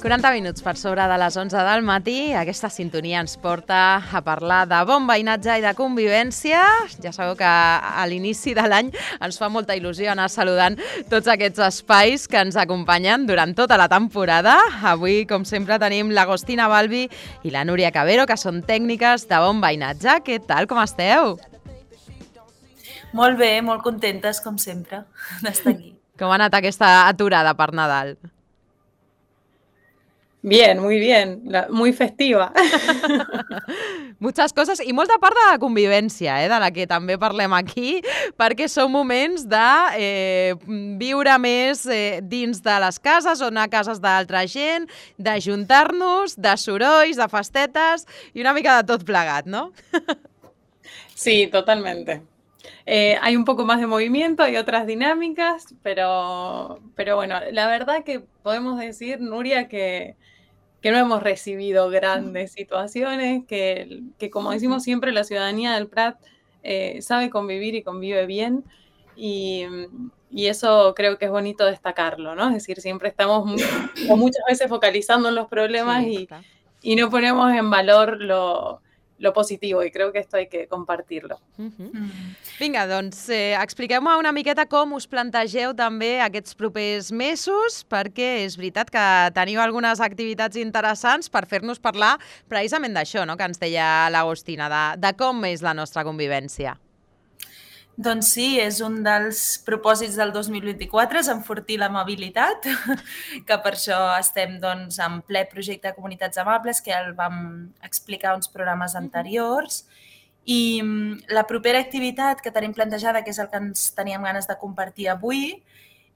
40 minuts per sobre de les 11 del matí. Aquesta sintonia ens porta a parlar de bon veïnatge i de convivència. Ja sabeu que a l'inici de l'any ens fa molta il·lusió anar saludant tots aquests espais que ens acompanyen durant tota la temporada. Avui, com sempre, tenim l'Agostina Balbi i la Núria Cabero, que són tècniques de bon veïnatge. Què tal, com esteu? Molt bé, molt contentes, com sempre, d'estar aquí. Com ha anat aquesta aturada per Nadal? Bien, muy bien, muy festiva. Muchas coses i molta part de la convivència, de la que també parlem aquí, perquè són moments de viure més dins de les cases o anar a cases d'altra gent, d'ajuntar-nos, de sorolls, de festetes i una mica de tot plegat, ¿no? Sí, totalmente. Hay un poco más de movimiento, hay otras dinámicas, pero bueno, la verdad que podemos decir, Nuria, que no hemos recibido grandes situaciones, que como decimos siempre, la ciudadanía del Prat sabe convivir y convive bien, y eso creo que es bonito destacarlo, ¿no? Es decir, siempre estamos muchas veces focalizando en los problemas y no ponemos en valor lo positivo, i crec que esto hay que compartir-lo. Vinga, doncs expliqueu-me una miqueta com us plantegeu també aquests propers mesos, perquè és veritat que teniu algunes activitats interessants per fer-nos parlar precisament d'això, no?, que ens deia l'Agostina, de com és la nostra convivència. Doncs sí, és un dels propòsits del 2024, és enfortir l'amabilitat, que per això estem en ple projecte de comunitats amables, que ja el vam explicar uns programes anteriors. I la propera activitat que tenim plantejada, que és el que ens teníem ganes de compartir avui,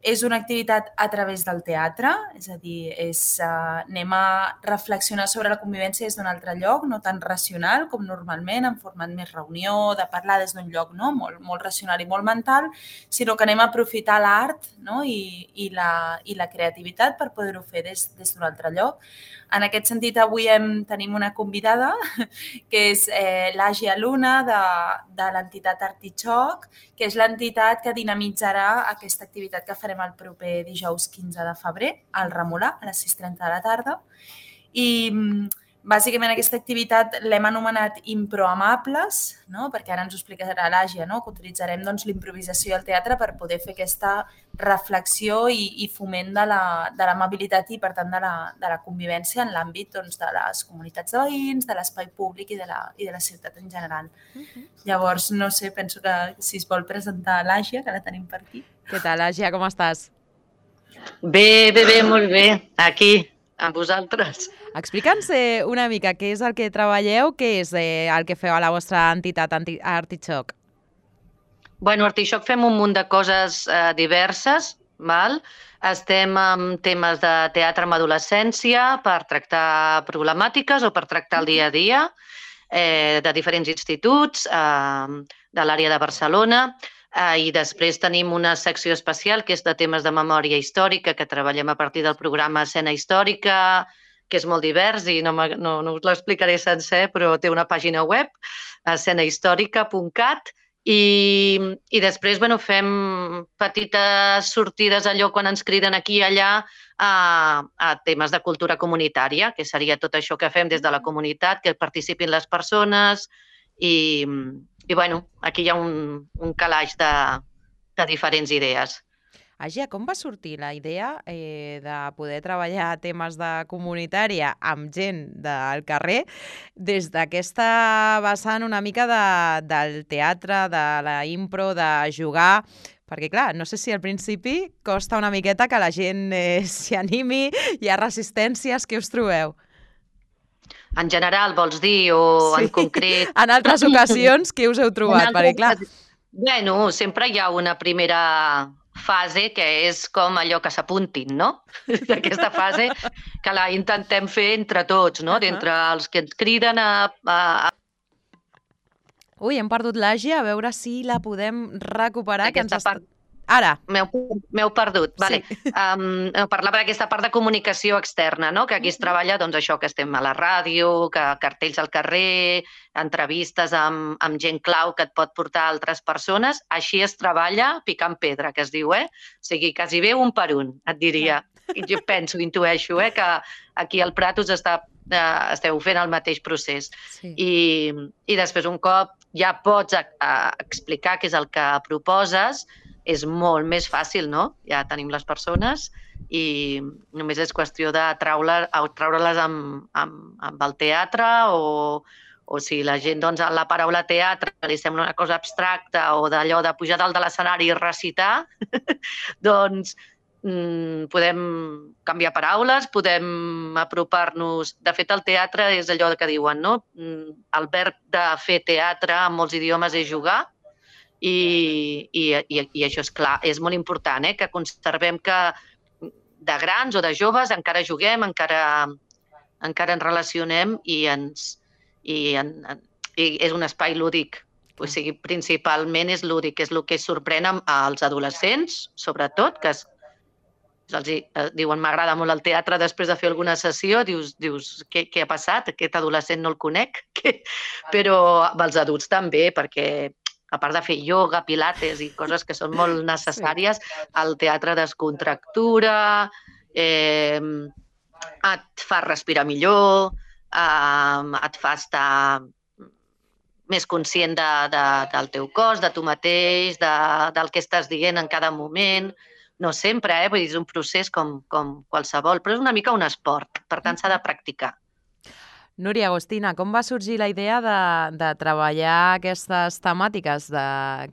és una activitat a través del teatre, és a dir, anem a reflexionar sobre la convivència des d'un altre lloc, no tan racional com normalment, en format més reunió, de parlar des d'un lloc molt racional i molt mental, sinó que anem a aprofitar l'art i la creativitat per poder-ho fer des d'un altre lloc. En aquest sentit, avui tenim una convidada, que és l'Àgia Luna, de l'entitat Artichoc, que és l'entitat que dinamitzarà aquesta activitat que farem el proper dijous 15 de febrer, al Remolà, a les 6:30 de la tarda. I bàsicament aquesta activitat l'hem anomenat Improamables, perquè ara ens ho explicarà l'Àgia, que utilitzarem l'improvisació i el teatre per poder fer aquesta reflexió i foment de l'amabilitat i, per tant, de la convivència en l'àmbit de les comunitats de veïns, de l'espai públic i de la ciutat en general. Llavors, no sé, penso que si es vol presentar l'Àgia, que la tenim per aquí. Què tal, Àgia, com estàs? Bé, molt bé, aquí, amb vosaltres. Explica'ns una mica què és el que treballeu, què és el que feu a la vostra entitat Artichoc. Bueno, a Artichoc fem un munt de coses diverses, val? Estem amb temes de teatre amb adolescència per tractar problemàtiques o per tractar el dia a dia de diferents instituts de l'àrea de Barcelona. I després tenim una secció especial que és de temes de memòria històrica, que treballem a partir del programa Escena Històrica, que és molt divers i no us l'explicaré sencer, però té una pàgina web, escenahistòrica.cat, i després fem petites sortides allò quan ens criden aquí i allà a temes de cultura comunitària, que seria tot això que fem des de la comunitat, que participin les persones i aquí hi ha un calaix de diferents idees. Àgia, com va sortir la idea de poder treballar temes de comunitària amb gent del carrer des d'aquesta vessant una mica del teatre, de la impro, de jugar? Perquè, clar, no sé si al principi costa una miqueta que la gent s'hi animi, hi ha resistències, què us trobeu? En general, vols dir, o en concret? En altres ocasions, què us heu trobat? Perquè, clar... Bueno, sempre hi ha una primera fase que és com allò que s'apuntin, no? Aquesta fase que la intentem fer entre tots, no? D'entre els que ens criden a... Ui, hem perdut l'Àgia, a veure si la podem recuperar. Ara. M'heu perdut. Vale. Parlava d'aquesta part de comunicació externa, no? Que aquí es treballa, doncs això, que estem a la ràdio, que cartells al carrer, entrevistes amb gent clau que et pot portar altres persones. Així es treballa picant pedra, que es diu, O sigui, quasi bé un per un, et diria. Jo penso, intueixo, que aquí al Prat us esteu fent el mateix procés. Sí. I després, un cop ja pots explicar què és el que proposes, és molt més fàcil, no? Ja tenim les persones i només és qüestió de treure-les amb el teatre o si la gent, doncs, la paraula teatre li sembla una cosa abstracta o d'allò de pujar dalt de l'escenari i recitar, doncs podem canviar paraules, podem apropar-nos... De fet, el teatre és allò que diuen, no? El verb de fer teatre en molts idiomes és jugar i això és clar, és molt important, que conservem que de grans o de joves encara juguem, encara ens relacionem i és un espai lúdic. O sigui, principalment és lúdic, és el que sorprèn als adolescents, sobretot, que diuen m'agrada molt el teatre després de fer alguna sessió, dius què ha passat? Aquest adolescent no el conec, però els adults també, perquè a part de fer ioga, pilates i coses que són molt necessàries, el teatre descontractura, et fa respirar millor, et fa estar més conscient del teu cos, de tu mateix, del que estàs dient en cada moment. No sempre, vull dir, és un procés com qualsevol, però és una mica un esport, per tant s'ha de practicar. Núria Agostina, com va sorgir la idea de treballar aquestes temàtiques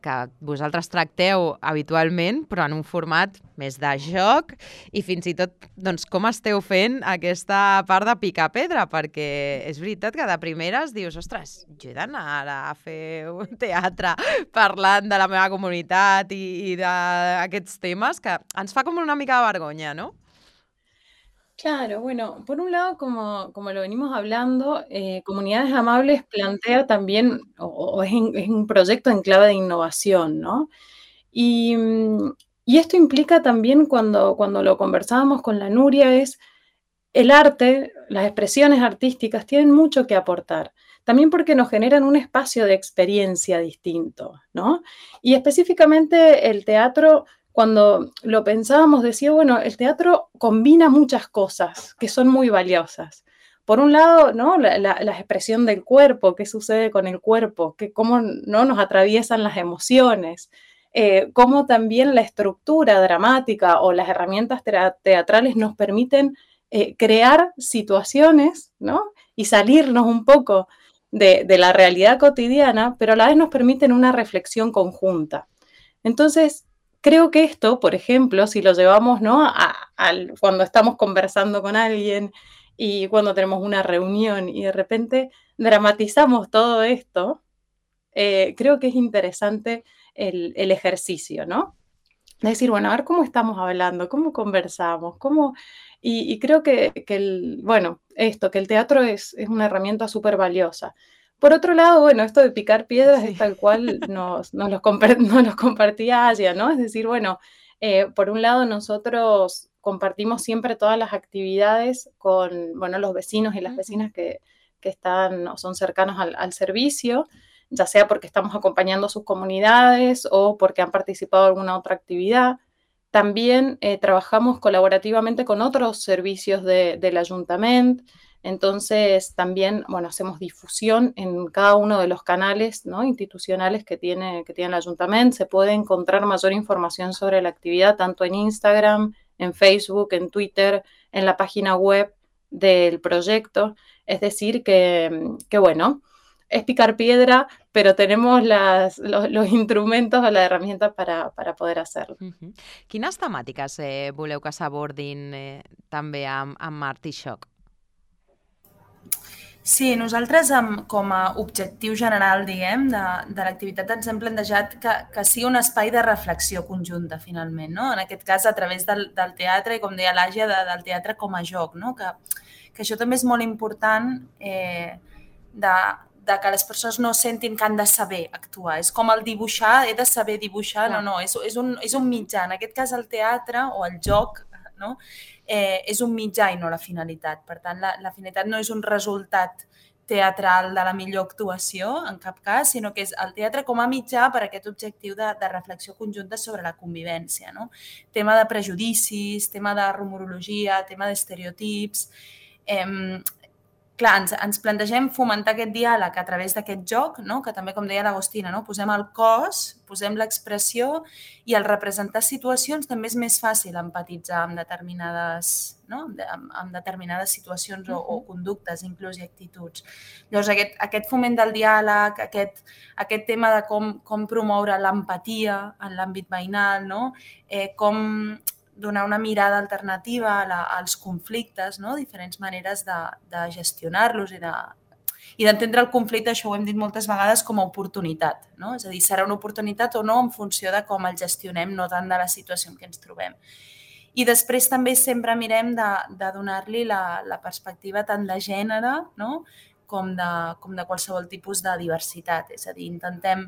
que vosaltres tracteu habitualment, però en un format més de joc i fins i tot doncs, com esteu fent aquesta part de picar pedra? Perquè és veritat que de primeres dius, ostres, jo he d'anar ara a fer un teatre parlant de la meva comunitat i d'aquests temes que ens fa com una mica de vergonya, no? Claro, bueno, por un lado, como lo venimos hablando, Comunidades Amables plantea también, o es un proyecto en clave de innovación, ¿no? Y esto implica también, cuando lo conversábamos con la Nuria, es el arte, las expresiones artísticas tienen mucho que aportar, también porque nos generan un espacio de experiencia distinto, ¿no? Y específicamente el teatro, cuando lo pensábamos, decía, bueno, el teatro combina muchas cosas que son muy valiosas. Por un lado, ¿no? la expresión del cuerpo, qué sucede con el cuerpo, cómo no nos atraviesan las emociones, cómo también la estructura dramática o las herramientas teatrales nos permiten crear situaciones, ¿no? Y salirnos un poco de la realidad cotidiana, pero a la vez nos permiten una reflexión conjunta. Entonces, creo que esto, por ejemplo, si lo llevamos, ¿no? Cuando estamos conversando con alguien y cuando tenemos una reunión y de repente dramatizamos todo esto, creo que es interesante el ejercicio, ¿no? Es decir, bueno, a ver cómo estamos hablando, cómo conversamos, y creo que el teatro es una herramienta súper valiosa. Por otro lado, bueno, esto de picar piedras es tal cual nos los compartía Aya, ¿no? Es decir, bueno, por un lado nosotros compartimos siempre todas las actividades con, bueno, los vecinos y las vecinas que están o son cercanos al servicio, ya sea porque estamos acompañando a sus comunidades o porque han participado en alguna otra actividad. También trabajamos colaborativamente con otros servicios del Ayuntamiento. Entonces, también, bueno, hacemos difusión en cada uno de los canales, ¿no? institucionales que tiene el Ayuntamiento. Se puede encontrar mayor información sobre la actividad tanto en Instagram, en Facebook, en Twitter, en la página web del proyecto. Es decir, que bueno, es picar piedra, pero tenemos los instrumentos o las herramientas para poder hacerlo. Quines temàtiques voleu que s'abordin també amb Artishock? Sí, nosaltres com a objectiu general, diguem, de l'activitat ens hem plantejat que sigui un espai de reflexió conjunta, finalment, no? En aquest cas, a través del teatre, i com deia l'Àgia, del teatre com a joc, no? Que això també és molt important de que les persones no sentin que han de saber actuar. És com el dibuixar, he de saber dibuixar, no, és un mitjà. En aquest cas el teatre o el joc, no? És un mitjà i no la finalitat. Per tant, la finalitat no és un resultat teatral de la millor actuació, en cap cas, sinó que és el teatre com a mitjà per a aquest objectiu de reflexió conjunta sobre la convivència. No? Tema de prejudicis, tema de rumorologia, tema d'estereotips. Clar, ens plantegem fomentar aquest diàleg a través d'aquest joc, no? Que també, com deia l'Agostina, no? Posem el cos, posem l'expressió i al representar situacions també és més fàcil empatitzar amb determinades, no? amb determinades situacions o conductes, inclús i actituds. Llavors, aquest foment del diàleg, aquest tema de com promoure l'empatia en l'àmbit veïnal, no? Com donar una mirada alternativa als conflictes, no? Diferents maneres de gestionar-los i d'entendre el conflicte, això ho hem dit moltes vegades, com a oportunitat. No? És a dir, serà una oportunitat o no en funció de com el gestionem, no tant de la situació en què ens trobem. I després també sempre mirem de donar-li la perspectiva tant de gènere, no? com de qualsevol tipus de diversitat. És a dir, intentem,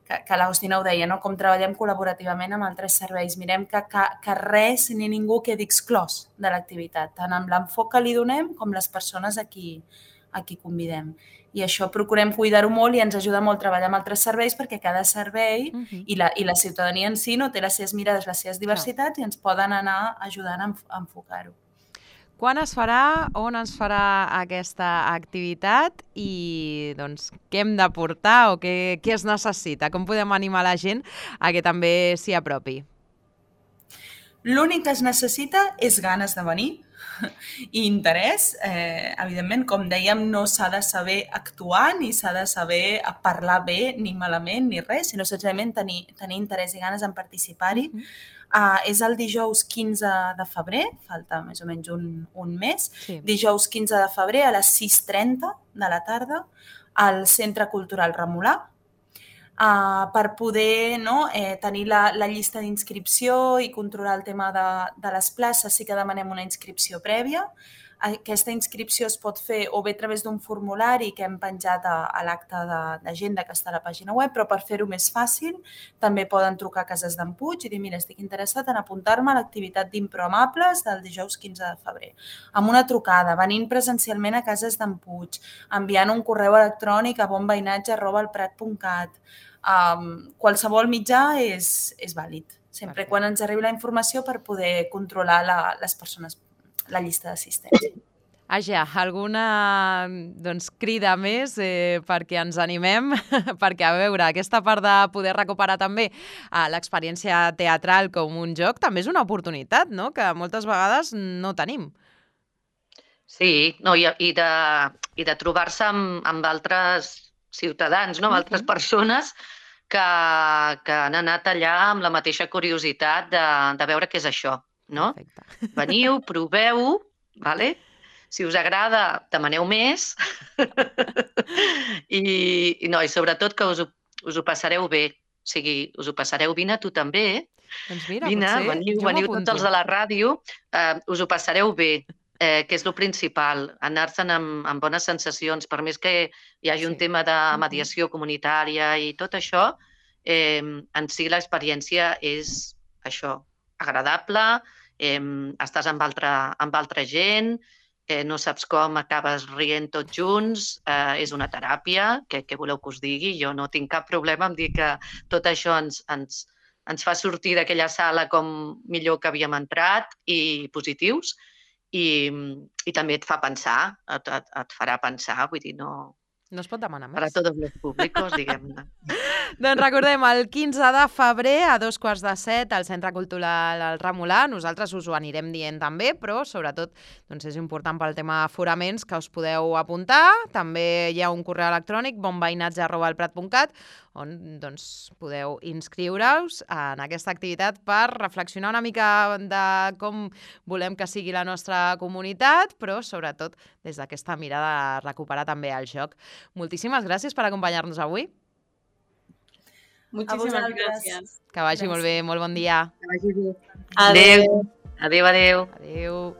que l'Agostina ho deia, no? Com treballem col·laborativament amb altres serveis. Mirem que res ni ningú quedi exclòs de l'activitat, tant amb l'enfoc que li donem com les persones a qui convidem. I això procurem cuidar-ho molt i ens ajuda molt treballar amb altres serveis perquè cada servei i la ciutadania en si no té les seves mirades, les seves diversitats i ens poden anar ajudant a enfocar-ho. Quan es farà, on es farà aquesta activitat i doncs, què hem de portar o què es necessita? Com podem animar la gent a que també s'hi apropi? L'únic que es necessita és ganes de venir i interès. Evidentment, com dèiem, no s'ha de saber actuar ni s'ha de saber parlar bé ni malament ni res, sinó senzillament tenir interès i ganes en participar-hi. És el dijous 15 de febrer, falta més o menys un mes, dijous 15 de febrer a les 6:30 de la tarda al Centre Cultural Remolà, per poder tenir la llista d'inscripció i controlar el tema de les places. Sí que demanem una inscripció prèvia. Aquesta inscripció es pot fer o bé a través d'un formulari que hem penjat a l'acte d'agenda que està a la pàgina web, però per fer-ho més fàcil també poden trucar a Cases d'en Puig i dir, mira, estic interessat en apuntar-me a l'activitat d'Improamables del dijous 15 de febrer. Amb una trucada, venint presencialment a Cases d'en Puig, enviant un correu electrònic a bonveïnatge@elprat.cat. Qualsevol mitjà és vàlid, sempre quan ens arribi la informació per poder controlar les persones, la llista d'assistència. Àgia, alguna crida més perquè ens animem? Perquè, a veure, aquesta part de poder recuperar també l'experiència teatral com un joc també és una oportunitat, no? Que moltes vegades no tenim. Sí, i de trobar-se amb altres ciutadans, amb altres persones que han anat allà amb la mateixa curiositat de veure què és això. No? Veniu, proveu-ho, vale? Si us agrada, demaneu més i sobretot que us ho passareu bé. O sigui, us ho passareu, vine tu també. Doncs mira, veniu tots els de la ràdio, us ho passareu bé, que és el principal, anar-se'n amb bones sensacions, per més que hi hagi un tema de mediació comunitària i tot això, en si l'experiència és això, agradable, estàs amb altra gent, no saps com, acabes rient tots junts, és una teràpia, què voleu que us digui? Jo no tinc cap problema en dir que tot això ens fa sortir d'aquella sala com millor que havíem entrat i positius i també et fa pensar, et farà pensar, vull dir, no es pot demanar més. Per a tots els públics, diguem-ne. Doncs recordem, el 15 de febrer a 6:45 al Centre Cultural El Remolà. Nosaltres us ho anirem dient també, però sobretot és important pel tema aforaments que us podeu apuntar. També hi ha un correu electrònic, bonveïnatge@elprat.cat, on podeu inscriure-us en aquesta activitat per reflexionar una mica de com volem que sigui la nostra comunitat, però sobretot des d'aquesta mirada de recuperar també el joc. Moltíssimes gràcies per acompanyar-nos avui. Muchísimas gracias. Que vagi molt bé, molt bon dia. Que vagi bé. Adéu. Adéu, adéu. Adéu.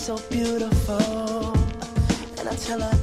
so beautiful. And I tell her